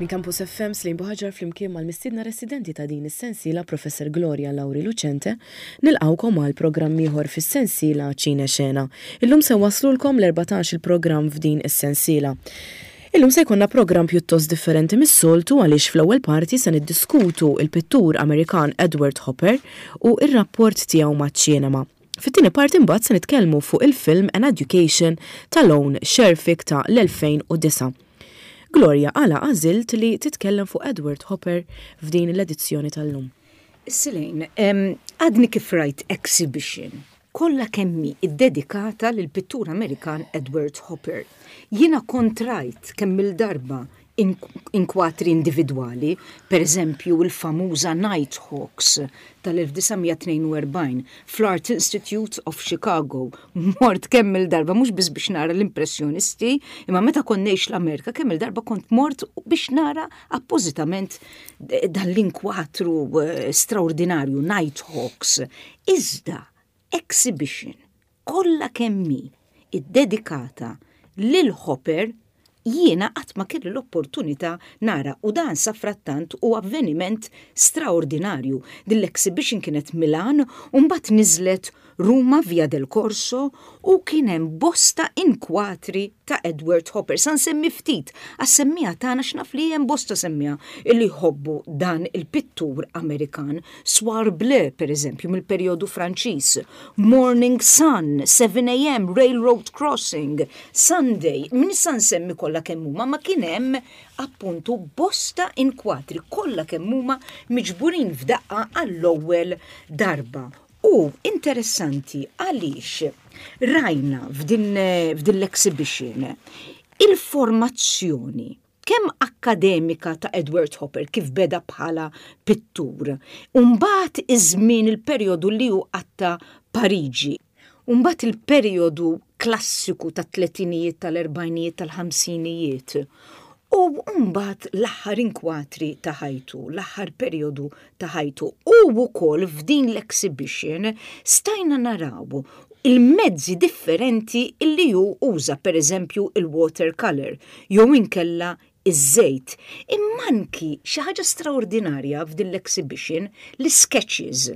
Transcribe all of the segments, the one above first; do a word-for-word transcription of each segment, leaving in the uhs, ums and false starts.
Minn Campus F M, Slim Buħaġar flimkien mal-mistiedna residenti ta' din is-sensiela, Professor Gloria Lauri Lucente, nilqawkom għal programm ieħor fis-sensiela Ċine Xena. Illum se waslulkom l-erbatax il-programm f'din is-sensiela. Illum se jkollna programm pjuttost differenti mis-soltu, għaliex fl-ewwel parti se niddiskutu il-pittur Amerikan Edward Hopper u ir-rapport tiegħu maċ-ċinema. Fit-tieni parti mbagħad se nitkellmu fuq il-film An Education ta' Lone Scherfig ta' l-elfejn u disgħa. Gloria, għala għażilt li titkellem fuq Edward Hopper f'din l-edizzjoni tal-lum? Silejn, għadni kif rajt exhibition kollha kemm hi iddedikata lil pittur Amerikan Edward Hopper. Jiena kont rajt kemm il-darba inkwatri individwali, per eżempju il-famuża Nighthawks tal-elf disa' mija tnejn u erbgħin fl-Art Institute of Chicago. Mort kemm il-darba mhux biss biex nara l-impressjonisti, imma meta kont ngħix l-Amerika kemm il-darba kont mort biex nara appożitament dan l-inkwatru eh, straordinarju Nighthawks. Iżda exhibition kollha kemm hi iddedikata lil Hopper jiena qatt ma kelli l-opportunità nara, u dan safrattant u avveniment straordinarju. Din l-exhibition kienet Milan u mbagħad niżlet Ruma, Via del Corso, u kien hemm bosta inkwatri ta' Edward Hopper. Sa nsemmi ftit, għas-semmiegħa tagħna, x'naf li hemm bosta semmiegħa illi jħobbu dan il-pittur Amerikan. Soir Bleu, per eżempju, mill-perjodu Franċiż. Morning Sun, seven A M, Railroad Crossing, Sunday, minn sa nsemmi kollha kemm huma, ma kien hemm appuntu bosta inkwatri kollha kemm huma miġburin f'daqqa għall-ewwel darba. U interessanti għaliex rajna f'din, f'din l-exhibition il-formazzjoni kemm akkademika ta' Edward Hopper, kif beda bħala pittur. Umbagħad iż-żmien, il-perjodu li hu qatta Pariġi. Umbagħad il-perjodu klassiku ta' tletinijiet, tal-erbgħinijiet, tal-ħamsinijiet. U mbagħad l-aħħar inkwatri ta' ħajtu, l-aħħar perjodu ta' ħajtu. U wkoll f'din l-exhibition stajna naraw il-mezzi differenti illi hu uża, per eżempju il-watercolor, jew inkella iż-żejt. Imma anki xi ħaġa straordinarja f'din l-exhibition, l-sketches.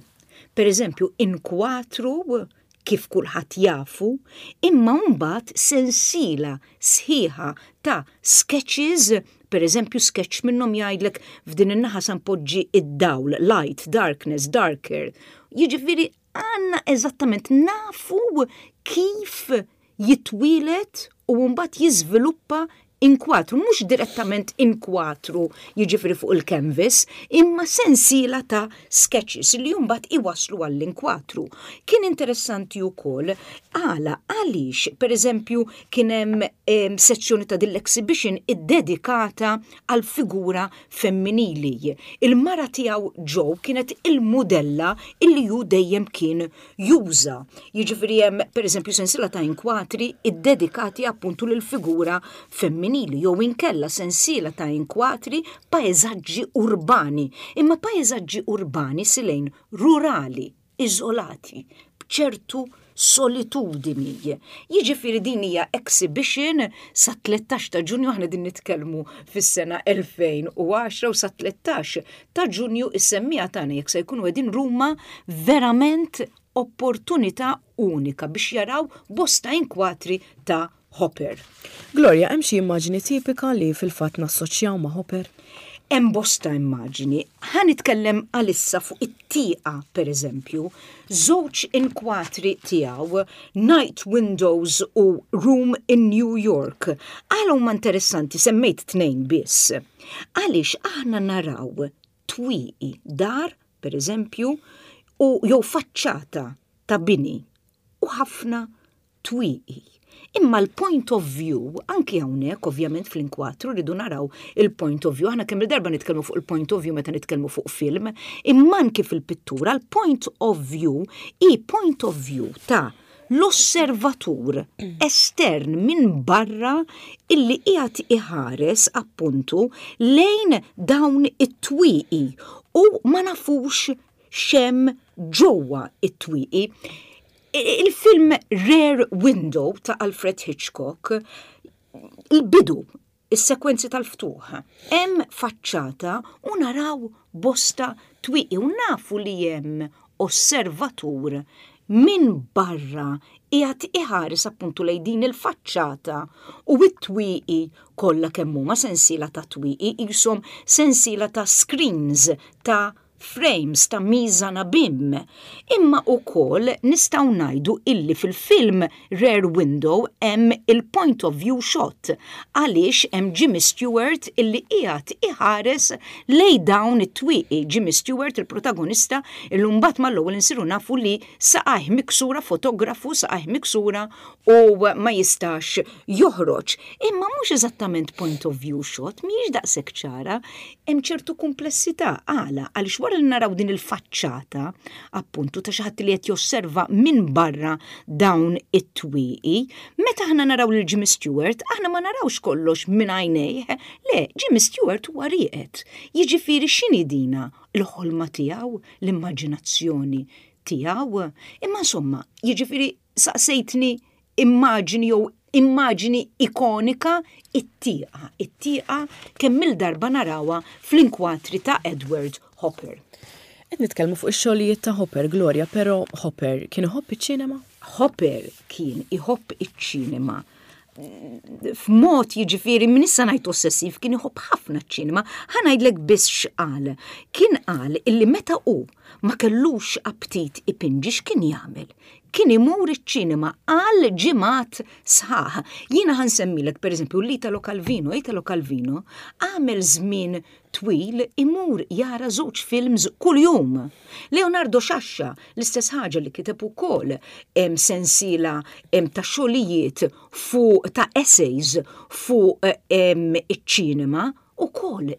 Per eżempju, inkwatru kif kulħadd jafu, imma mbagħad sensiela sħiħa ta' sketches, per eżempju sketch minnhom jgħidlek: "F'din in-naħa sa npoġġi id-dawl, light, darkness, darker." Jiġifieri għandna eżattament nafu kif jitwieled u mbagħad jiżviluppa inkwatru, mhux direttament inkwatru jiġifieri fuq il-canvas, imma sensiela ta' sketches li mbagħad iwaslu għall-inkwatru. Kien interessanti wkoll għala għaliex, per eżempju, kien hemm sezzjoni ta' din l-exhibition iddedikata għal figura femminili. Il-mara tiegħu Jo kienet il-modella illi ju dejjem kien juża. Jiġifieri hemm, per eżempju, sensiela ta' inkwatri iddedikati appuntu lil figura femminili jew inkella sensiela ta' inkwatri paeżaġġi urbani, imma paeżaġġi urbani, silejn, rurali, iżolati, b'ċertu solitudini. Jiġifieri din hija exhibition sa tlettax ta' Ġunju, aħna din nitkellmu fis-sena elfejn u għaxra, u sa tlettax ta' Ġunju is-semmiegħa tagħna, jekk se jkunu qegħdin Ruma, verament opportunità unika biex jaraw bosta inkwatri ta' Hopper. Gloria, hemm xi immaġni tipika li fil-fatt nassoċjaw ma' Hopper? Hemm bosta immaġni. Ħa nitkellem għalissa fuq it-tieqa, per eżempju, żewġ inkwatri tiegħu, Night Windows u Room in New York. Għala huma interessanti, semmejt tnejn biss? Għaliex aħna naraw twieqi dar, per eżempju, u jew faċċata ta' bini u ħafna twieqi. Imma l-point of view, anki hawnhekk ovvjament fl-inkwatru rridu naraw il-point of view, aħna kemm il-darba nitkellmu fuq il-point of view meta nitkellmu fuq film, imma anki fil-pittura l-point of view i point of view ta' l-osservatur estern minn barra illi qiegħed iħares appuntu lejn dawn it-twieqi u ma nafux x'hemm ġewwa it-twieqi. Il-film Rear Window ta' Alfred Hitchcock, il-bidu Is-sekwenzi tal-ftuħ. Hemm faċċata u naraw bosta twieqi u nafu li hemm osservatur minn barra qiegħed iħares appuntu lejn din il-faċċata u it-twieqi kollha kemm huma sensiela ta' twieqi, qishom sensiela ta' screens, ta' frames, ta' mise en abyme. Imma ukoll nistgħu ngħidu illi fil-film Rear Window hemm il-point of view shot, għaliex hemm Jimmy Stewart illi qiegħed iħares lejn dawn it-twieqi. Jimmy Stewart, il-protagonista, illi mbagħad mal-ewwel insiru nafu li saqajh miksura, fotografu, saqajh miksura u ma jistax joħroġ. Imma mhux eżattament point of view shot, mhijiex daqshekk ċara, hemm ċertu komplessità. Għala? Għaliex wara li naraw din il-faċċata, appuntu, ta' xi ħadd li qed josserva minn barra dawn it-twieqi, meta aħna naraw lil Jimmy Stewart, aħna ma narawx kollox minn għajnejh, le, Jimmy Stewart huwa rieqed. Jiġifieri x'inhi dina? Il-ħolma tiegħu, l-immaġinazzjoni tiegħu? Imma insomma, jiġifieri saqsejtni immaġini jew immaġini ikonika, it-tieqa. It-tieqa kemm il-darba narawha fl-inkwatri ta' Edward Hopper. Qed nitkellmu fuq ix-xogħlijiet ta' Hopper, Gloria, però Hopper kien iħobb iċ-ċinema? Hopper kien iħobb iċ-ċinema f'mod, jiġifieri minn issa ngħid ossessiv, kien iħobb ħafna ċ-ċinema. Ħa ngħidlek biss x'qal. Kien qal illi meta hu ma kellux aptit ipinġi, x'kien jagħmel? Kien imur iċ-ċinema għal ġimgħat sħaħ. Jiena ħa nsemmilek pereżempju l-Italo Calvino. Italo Calvino għamel żmien twil imur jara żewġ films kuljum. Leonardo Sciascia, l-istess ħaġa, li kiteb ukoll hemm sensiela hemm ta' xogħlijiet fuq, ta' essays fuq iċ-ċinema ukoll.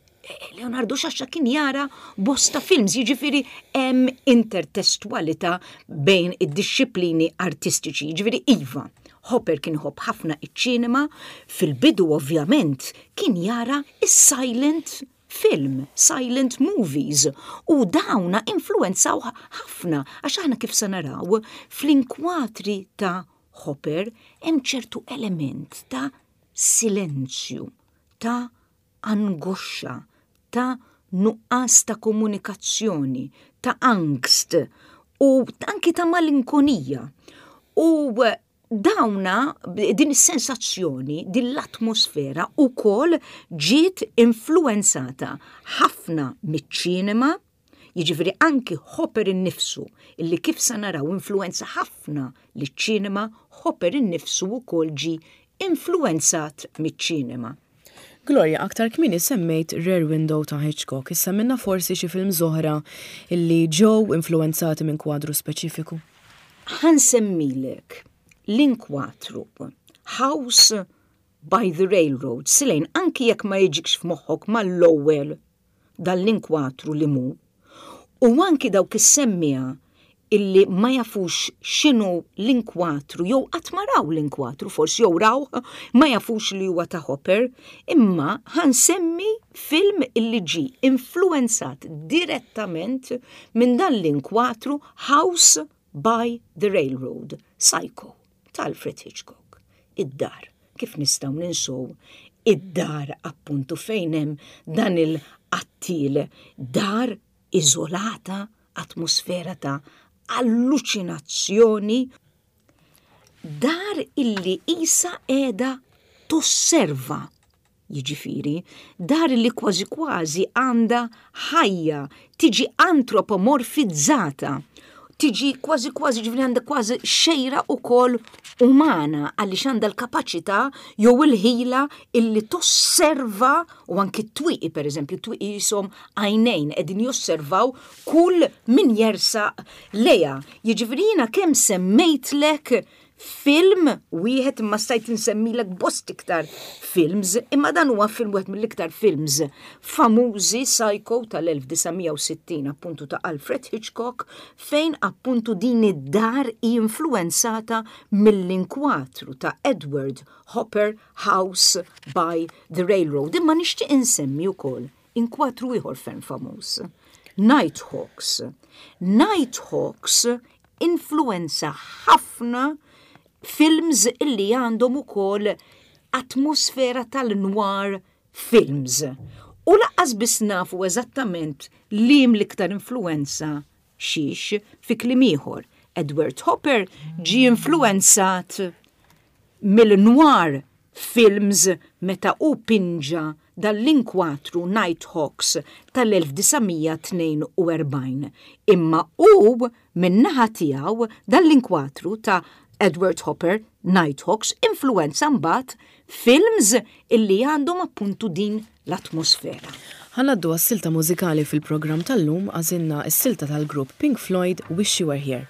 Leonardo Sciascia kien jara bosta films, jiġifieri hemm intertestualità bejn id-disciplini artistiċi, jiġifieri iva. Hopper kien iħobb ħafna iċ-ċinema, fil-bidu ovvjament kien jara is-silent film, silent movies, u dawna influenzaw ħafna, għax aħna kif se naraw fl-inkwatri ta' Hopper hemm ċertu element ta' silenzju, ta' angoscia, ta' nuqqas ta' komunikazzjoni, ta' angst u anki ta' malinkonija. U dawna, din is-sensazzjoni, din l-atmosfera ukoll ġiet influenzata ħafna miċ-ċinema, jiġifieri anki Hopper innifsu, illi kif sa naraw influenza ħafna liċ-ċinema, Hopper innifsu wkoll ġi influenzat miċ-ċinema. Gloria, aktar kmieni semmejt Rear Window ta' Hitchcock, issa minna forsi xi film oħra illi ġew influenzati minn kwadru speċifiku? Ħa nsemmilek l-inkwatru House by the Railroad. Silejn, anki jekk ma jiġikx f'moħħok mal-ewwel dal-inkwatru li mu, u anki dawk is-semmiegħa illi ma jafux x'inhu l-inkwatru jew qatt ma raw l-inkwatru forsi, jew raw ma jafux li huwa ta' Hopper, imma ħa nsemmi film illi ġi influenzat direttament minn dan l-inkwatru House by the Railroad, Psycho ta' Alfred Hitchcock. Id-dar, kif nistgħu ninsow id-dar appuntu fejn hemm dan il-qattil, dar iżolata, atmosfera ta' alluċinazzjoni, dar illi qisha qiegħda tosserva, jiġifieri, dar illi kważi kważi għandha ħajja, tiġi antropomorfizzata, tiġi kważi kważi, ġifieri għandha kważi xejra ukoll umana, għaliex għandha l-kapaċità jew il-ħila illi tosserva, u anki t-twieqi, per eżempju, twieqi qishom għajnejn qegħdin josservaw kull min jersaq lejha. Jiġifieri jiena kemm semmejtlek film wieħed, imma stajt insemmilek bost iktar films, imma dan huwa film wieħed mill-iktar films famużi, Psycho tal-elf disa' mija u sittin appuntu ta' Alfred Hitchcock, fejn appuntu din id-dar influenzata mill-inkwatru ta' Edward Hopper, House by the Railroad. Imma nixtieq insemmi wkoll inkwatru ieħor ferm famuż. Nighthawks. Nighthawks influenza ħafna films illi għandhom ukoll atmosfera tal-noir films. U lanqas biss nafu eżattament liem l-iktar influenza xiex fi kliem ieħor. Edward Hopper ġi influenzat mill-noir films meta u pinġa dal-inkwatru Nighthawks tal-elf disa' mija tnejn u erbgħin. Imma u min-naħa tiegħu dal-inkwatru ta' Edward Hopper Nighthawks influenza mbagħad films illi għandhom appuntu din l-atmosfera. Ħa ngħaddu għas-silta mużikali fil-programm tal-lum. Għażilna s-silta tal-grupp Pink Floyd, Wish You Were Here.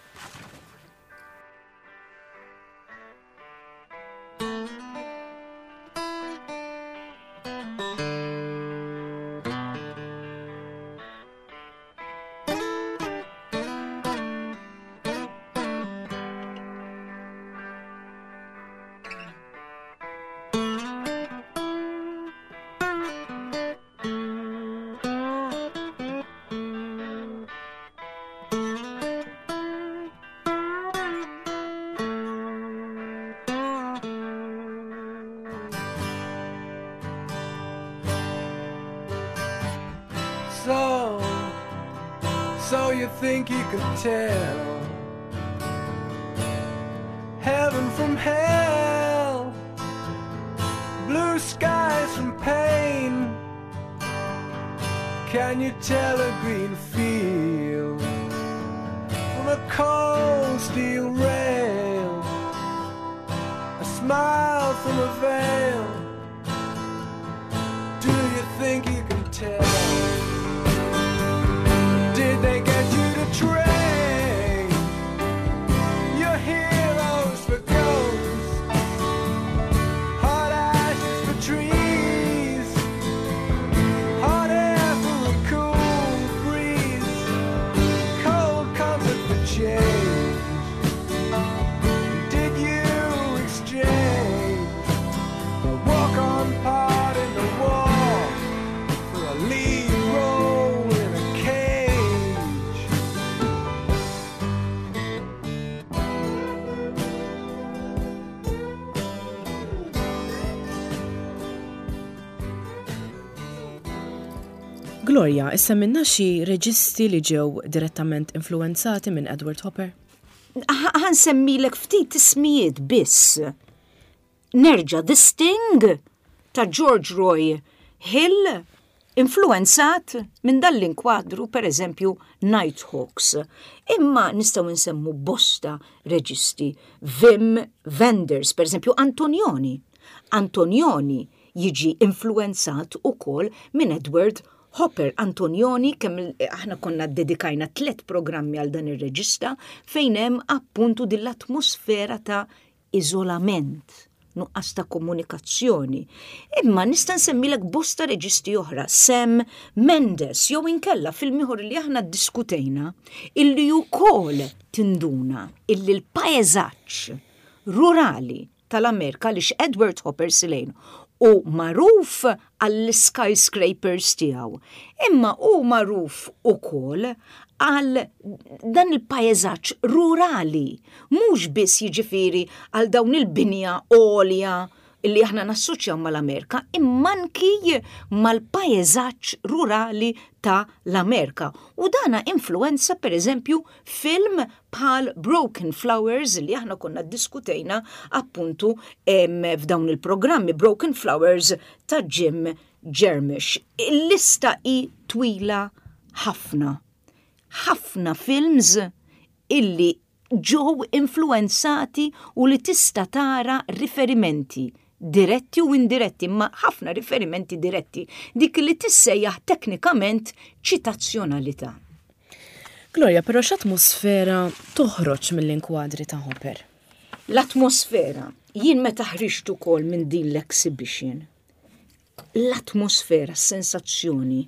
So, so you think you could tell heaven from hell, blue skies from pain? Can you tell a green field from a cold steel rail? A smile from a veil? Do you think you can tell? Did they get you to trade your heroes for ghosts, hot ashes for trees, hot air for a cool breeze, cold comfort for change? Did you exchange a walk-on part in the war for a lead role in a cage? Gloria, issemmilna xi reġisti li ġew direttament influenzati minn Edward Hopper? Ħa nsemmilek ftit ismijiet biss. Nerġa' The Sting ta' George Roy Hill, influenzat minn dal-inkwadru, per eżempju, Nighthawks. Imma nistgħu nsemmu bosta reġisti. Wim Wenders, per eżempju, Antonioni. Antonioni jiġi influenzat ukoll minn Edward Hopper. Antonioni, kemm aħna konna dedikajna tlet programmi għal dan ir-reġista fejn hemm appuntu din l-atmosfera ta' iżolament, nuqqas ta' komunikazzjoni. Imma nista' nsemmilek bosta reġisti oħra, Sam Mendes, jew inkella film ieħor li aħna ddiskutejna, illi wkoll tinduna illi l-paesaġġ rurali tal-Amerika li Edward Hopper Silane u magħruf għall-skyscrapers tiegħu. Imma hu magħruf ukoll għal dan il-paesaġġ rurali, mhux biss jiġifieri għal dawn il-binja għolja li aħna nassoċjaw mal-Amerika, imma anki mal-paesaġġ rurali ta' l-Amerika. U dana influenza, per eżempju, film bħal Broken Flowers li aħna konna diskutejna appuntu em, f'dawn il-programmi, Broken Flowers ta' Jim Jarmusch. Il-lista hi twila ħafna. Ħafna films illi ġew influenzati u li tista' tara riferimenti diretti u indiretti, ma ħafna riferimenti diretti, dik li tissejjaħ teknikament ċitazzjonalità. Gloria, però x'atmosfera toħroġ mill-inkwadri ta' Hopper? L-atmosfera, jien meta ħriġt ukoll minn din l-exhibition, l-atmosfera, sensazzjoni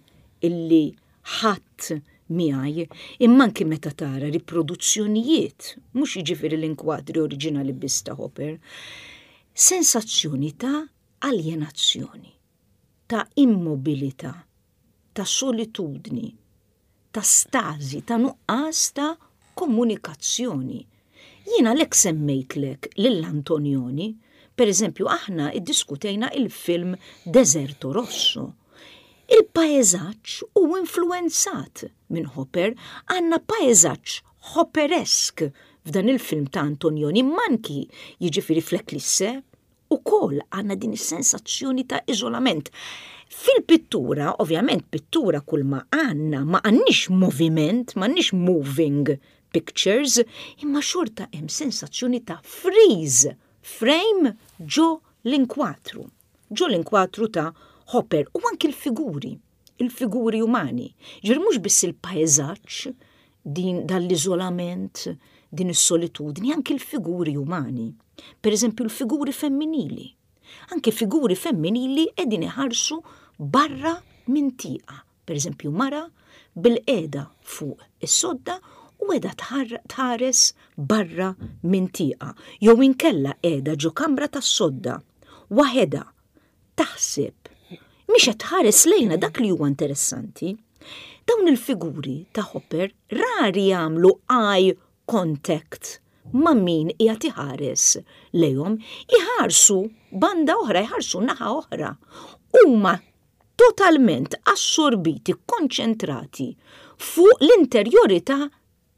illi ħadd miegħi, imma anki meta tara riproduzzjonijiet, mhux jiġifieri l-inkwadri oriġinali biss ta' Hopper, sensazzjoni ta' aljenazzjoni, ta' immobilità, ta' solitudni, ta' stażi, ta' nuqqas ta' komunikazzjoni. Jiena lek semmejtlek lill-Antonioni, Per eżempju, aħna iddiskutejna il-film Deserto Rosso. Il-paeżaġġ hu influenzat minn Hopper, għandna paeżaġġ Hopperesk f'dan il-film ta' Antonioni, manki jiġifieri fl-Eclisse, ukoll għandna din is-sensazzjoni ta' iżolament. Fil-pittura, ovvjament pittura kull ma għandna, ma għandniex moviment, ma għandniex moving pictures, imma xorta hemm sensazzjoni ta' freeze frame ġo l-inkwatru. Ġo l-inkwatru ta' Hopper u anki l-figuri, il-figuri umani. Ġifieri mhux biss il-paeżaġġ, din dal-iżolament, din is-solitudni, anki l-figuri umani. Per eżempju, l-figuri femminili. Anki figuri femminili qegħdin iħarsu barra minn tieqa. Per eżempju, mara bilqiegħda fuq is-sodda u qiegħda tħares barra minn tieqa. Jew inkella qiegħda ġo kamra tas-sodda, waħedha, taħseb. Mhix qed tħares lejna dak li huwa interessanti. Dawn il-figuri ta' Hopper rari jagħmlu eye contact ma' min qiegħed iħares lejhom, iħarsu banda oħra, iħarsu naħa oħra. Huma totalment assorbiti, konċentrati fuq l-interjorità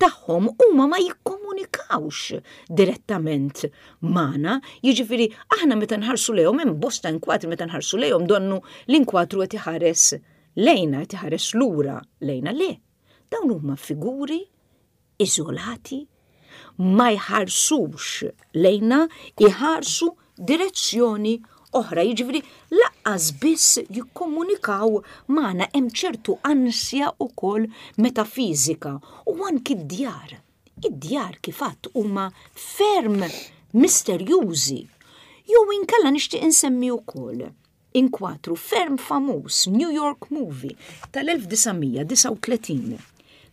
tagħhom, huma ma jikkomunikawx direttament magħna, jiġifieri aħna meta nħarsu lejhom hemm bosta inkwatri meta nħarsu lejhom donnu l-inkwatru qed iħares lejna, qed iħares lura lejna. Le, dawn huma figuri iżolati, ma jħarsux lejna, iħarsu direzzjoni oħra, jiġifieri lanqas biss jikkomunikaw magħna. Hemm ċertu ansja wkoll metafiżika u anki d-djar. Id-djar kif għadt huma ferm misterjużi. Jew inkella nixtieq insemmi wkoll inkwatru ferm famuż, New York Movie tal-elf disa' mija disgħa u tletin,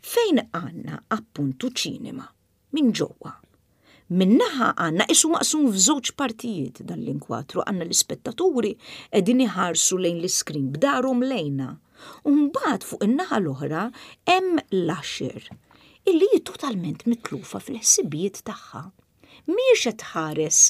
fejn għandna appuntu ċinema minn ġewwa. Min-naħa għandna isu maqsum f'żewġ partijiet dan l-inkwatru, għandna l-ispettaturi qegħdin iħarsu lejn l-iskrin b'darhom lejna. U mbagħad fuq in-naħa l-oħra hemm l-usher illi hi totalment mitlufa fil-ħsibijiet tagħha. Mhijiex qed tħares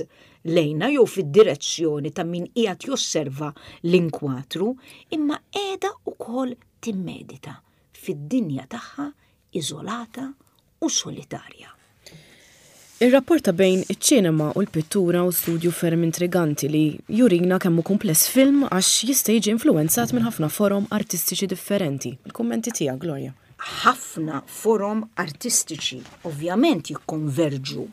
lejna jew fid-direzzjoni ta' min qiegħed josserva l-inkwatru, imma qiegħda wkoll timmedita fid-dinja tagħha iżolata u solitarja. Ir-rapport ta' bejn iċ-ċinema u l-pittura hu studju ferm intriganti li jurina kemm hu kumpless film għax jista' jiġi influenzat minn ħafna forom artistiċi differenti. Il-kummenti tiegħek, Gloria. Ħafna forom artistiċi ovvjament jikkonverġu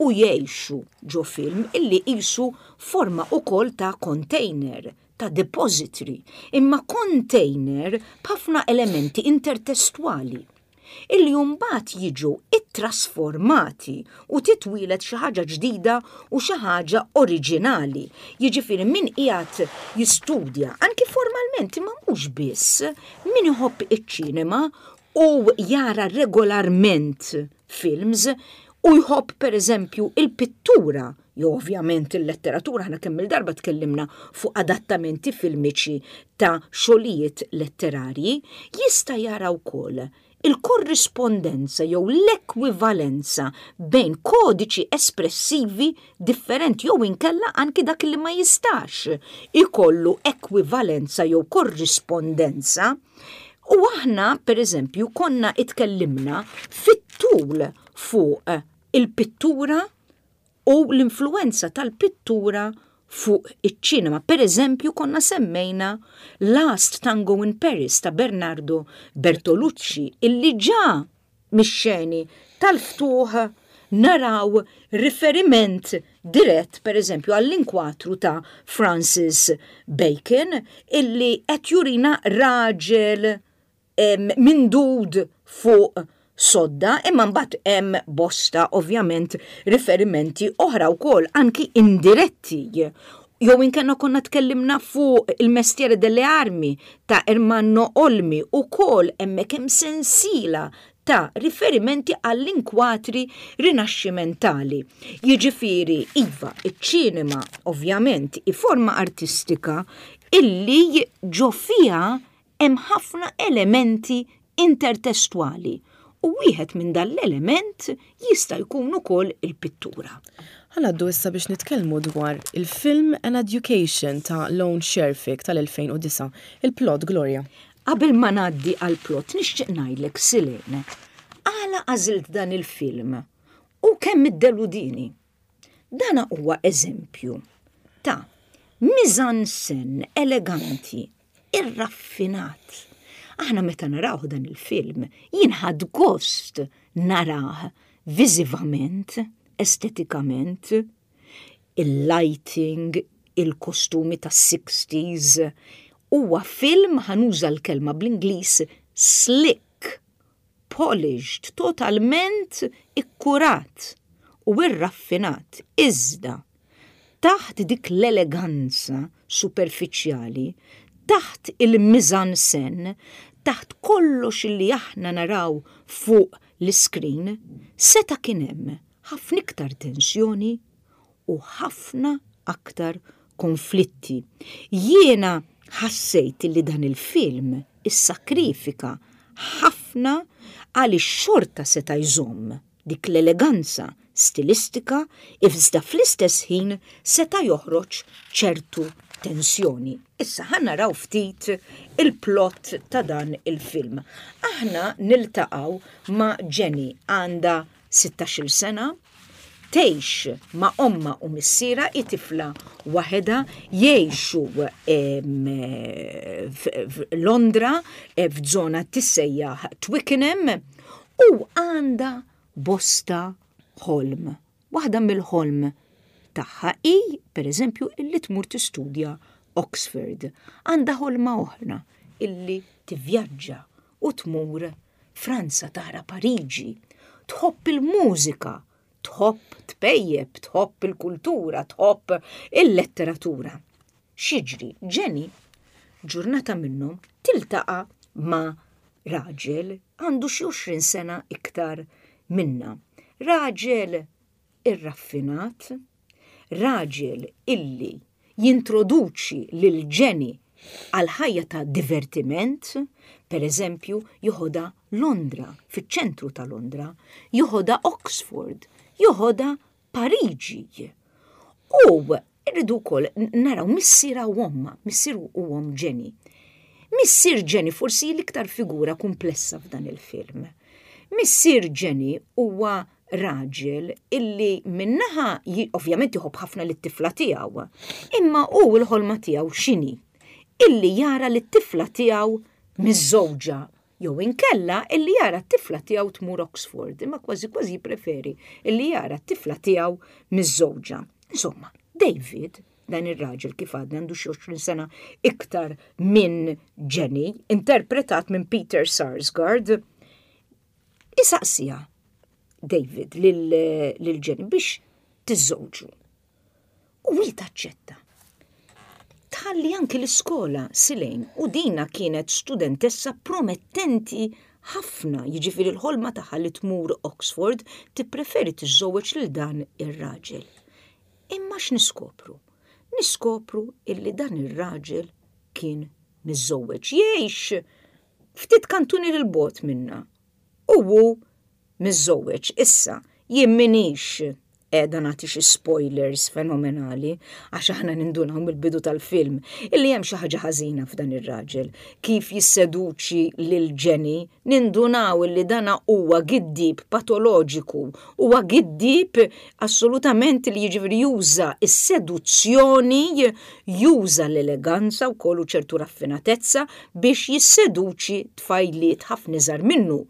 u jgħixu ġo film illi qisu forma ukoll ta' container, ta' depository, imma container b'ħafna elementi intertestwali illi mbagħad jiġu ittrasformati u titwieled xi ħaġa ġdida u xi ħaġa oriġinali. Jiġifieri min qiegħed jistudja anki formalment, imma mhux biss, min iħobb iċ-ċinema u jara regolarment films u jħobb per eżempju il-pittura jew ovvjament il-letteratura, aħna kemm il-darba tkellimna fuq adattamenti filmiċi ta' xogħlijiet letterarji, jista' jara wkoll il-korrispondenza jew l-ekwivalenza bejn kodiċi espressivi differenti jew inkella anki dak li ma jistax ikollu ekwivalenza jew korrispondenza. U aħna, per eżempju, konna itkellimna fit-tul fuq il-pittura u l-influenza tal-pittura fuq iċ-ċinema. Per eżempju, konna semmejna Last Tango in Paris ta' Bernardo Bertolucci, illi ġa mix-xeni tal-ftuħ naraw riferiment dirett, per eżempju, għall-inkwatru ta' Francis Bacon, illi qed jurina raġel mindud fuq sodda, imma mbagħad hemm bosta ovvjament riferimenti oħra wkoll anki indiretti. Jew inkella konna tkellimna fuq Il Mestiere delle Armi ta' Ermanno Olmi, ukoll hemmhekk hemm sensiela ta' riferimenti għall-inkwatri rinaxximentali. Jiġifieri, iva, iċ-ċinema ovvjament hi forma artistika illi ġo fiha hemm ħafna elementi intertestwali u wieħed minn dal-element jista' jkun ukoll il-pittura. Ħa ngħaddu issa biex nitkellmu dwar il-film An Education ta' Lone Scherfig tal-elfejn u disgħa. Il-plot, Gloria. Qabel ma ngħaddi għal plot, nixtieq ngħidlek, Silene, għala għażilt dan il-film u kemm iddeludini. Dana huwa eżempju ta' mise-en-scène eleganti, irraffinat. Aħna meta naraw dan il-film, jien ħadt gost narah viżivament, estetikament, il-lighting, il-kostumi ta' sixties. Huwa film, ħa nuża l-kelma bl-Ingliż, slick, polished, totalment ikkurat u irraffinat. Iżda, taħt dik l-eleganza superfiċjali, taħt il-mise-en-scène, taħt kollox li aħna naraw fuq l-screen, seta' kien hemm ħafna iktar tensjoni u ħafna aktar konflitti. Jiena ħassejt li dan il-film issakrifika ħafna għaliex xorta seta' jżomm dik l-eleganza stilistika, iżda fl-istess ħin seta' joħroġ ċertu tensjoni. Issa ħa naraw ftit il-plot ta' dan il-film. Aħna niltaqgħu ma' Jenny, għandha sittax-il sena, tgħix ma' omma u missira, tifla waħedha, jgħixu Londra, f'żona tissejjaħ Twickenham, u għandha bosta ħolm. Waħda mill-ħolm tagħha hi, per eżempju, illi tmur tistudja Oxford. Għandha ħolma oħra illi tivvjaġġa u tmur Franza tara Pariġi. Tħobb il-mużika, tħobb tpejjep, tħobb il-kultura, tħobb il-letteratura. X'jiġri? Jenny, ġurnata minnhom tiltaqa' ma' raġel għandu xi għoxrin sena iktar minna. Raġel irraffinat, raġel illi jintroduċi lil Jenny għal ħajja ta' divertiment, per eżempju, joħodha Londra, fiċ-ċentru ta' Londra, joħodha Oxford, joħodha Pariġi. U rridu wkoll naraw missierha u omma, missier u omm Jenny. Missier Jenny forsi l-iktar figura komplessa f'dan il-film. Missier Jenny huwa raġel illi min-naħa ovvjament jħobb ħafna lit-tifla tiegħu, imma hu l-ħolma tiegħu x'inhi? Illi jara lit-tifla tiegħu miżżewġa jew inkella illi jara t-tifla tiegħu tmur Oxford, imma kważi kważi preferi illi jara t-tifla tiegħu miżżewġa. Insomma, David, dan ir-raġel, kif għadna, għandu xi għoxrin sena iktar minn Jenny, interpretat minn Peter Sarsgaard, isaqsiha David lil Jenny biex tiżżewġu. U hi taċċetta. Tħalli anki l-iskola, Silene, u dina kienet studentessa promettenti ħafna, jiġifieri l-ħolma tagħha li tmur Oxford, tippreferi tiżżewweġ lil dan ir-raġel. Imma x'niskopru? Niskopru illi dan ir-raġel kien miżżewweġ. Jgħix ftit kantuni 'l bogħod minna. U hu miżżewweġ. Issa, jien minix qiegħda nagħti xi spoilers fenomenali, għax aħna nindunaw mill-bidu tal-film illi hemm xi ħaġa ħażina f'dan ir-raġel. Kif jisseduċi lil Jenny, nindunaw illi dana huwa giddib patoloġiku, huwa giddib assolutament li jiġifieri juża is-seduzzjoni, juża l-eleganza wkoll u ċertu raffinatezza biex jisseduċi tfajliet ħafna iżgħar minnu.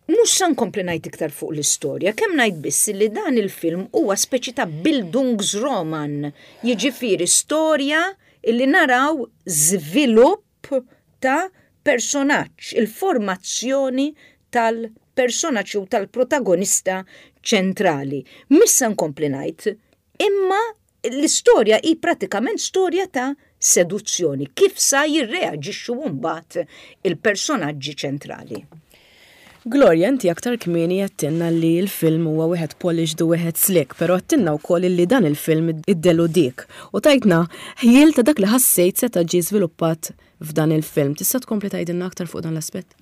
Mhux sa nkompli ngħid iktar fuq l-istorja, kemm ngħid biss li dan il-film huwa speċi ta' Bildungsroman, jiġifieri storja illi naraw żvilupp ta' personaġġ, il-formazzjoni tal-personaġġ u tal-protagonista ċentrali. Mhux sa nkompli ngħid, imma l-istorja hi pratikament storja ta' seduzzjoni, kif sa jirreaġixxu mbagħad il-personaġġi ċentrali. Gloria, inti aktar kmieni għedtilna li l-film huwa wieħed polished u wieħed slick, però għedtilna wkoll li dan il-film iddeludik. U tajtna ħjiel ta' dak li ħassejt seta' ġie żviluppat f'dan il-film. Tista' tkompli tgħidilna aktar fuq dan l-aspett?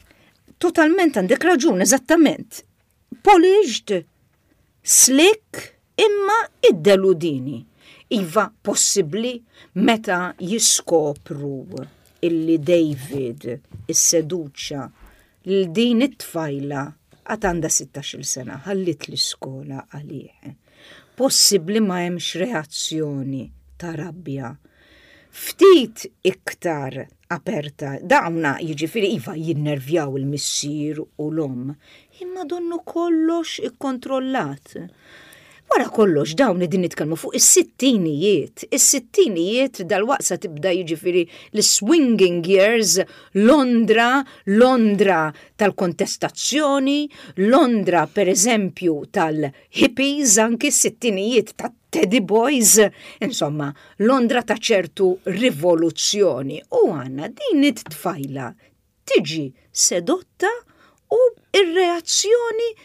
Totalment għandek raġun, eżattament. Polished, slick, Imma iddeludini. Iva, possibbli meta jiskopru illi David isseduċa lil din it-tfajla, għad għandha sittax-il sena, ħallit l-iskola għalih. Possibbli ma hemmx reazzjoni ta' rabbja ftit iktar aperta? Dawna jiġifieri iva jinnervjaw il-missier u l-om, imma donnu kollox ikkontrollat. Wara kollox dawn din nitkellmu fuq is-sittinijiet. Is-sittinijiet dal-waqsa tibda jiġifieri l-swinging years, Londra, Londra tal-kontestazzjoni, Londra per eżempju tal-hippies, anki s-sittinijiet ta' Teddy Boys, insomma, Londra ta' ċertu rivoluzzjoni. U għandna din it-tfajla tiġi sedotta u ir-reazzjoni,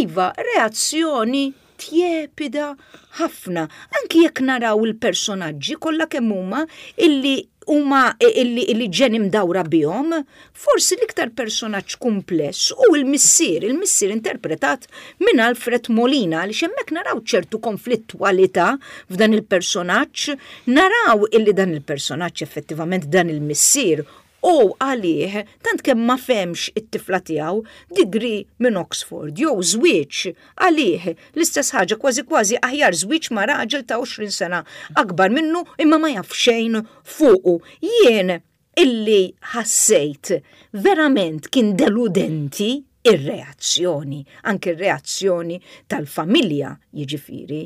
iva, reazzjoni tjepida ħafna. Anki jekk naraw il-personaġġi kollha kemm huma illi huma illi, illi Jenny mdawra bihom, forsi l-iktar personaġġ kumpless u il-missier, il-missier interpretat minn Alfred Molina, li hemmhekk naraw ċertu konflittwalità f'dan il-personaġġ, naraw illi dan il-personaġġ, effettivament dan il-missier, u għalih, tant kemm ma fehemx it-tifla tiegħu, degree minn Oxford jew żwieġ għalih l-istess ħaġa, kważi kważi aħjar żwieġ ma' raġel ta' għoxrin sena akbar minnu imma ma jaf xejn fuqu. Jien illi ħassejt verament kien deludenti ir-reazzjoni, anke ir-reazzjoni tal-familja jiġifieri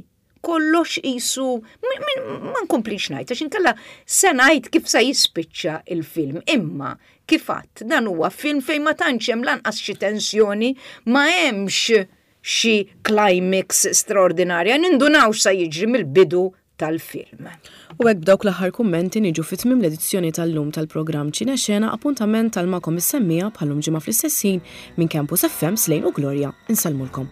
kollox jisu, ma nkomplix ngħid, għax inkella se ngħid kif sa jispiċċa il-film, imma kif għedt, dan huwa film fejn ma tantx hemm lanqas xi tensjoni, ma hemmx xi climax straordinarja, nindunaw sa jiġri mill-bidu tal-film. U hekk b'dawk l-aħħar kummenti niġu fi tmiem l-edizzjoni tal-lum tal-programm Ċinexena. Appuntament tal magħkom is-semmiegħa bħal-lum ġimgħa fl-istess ħin minn Campus F M, Slane u Gloria. Insellmulkom.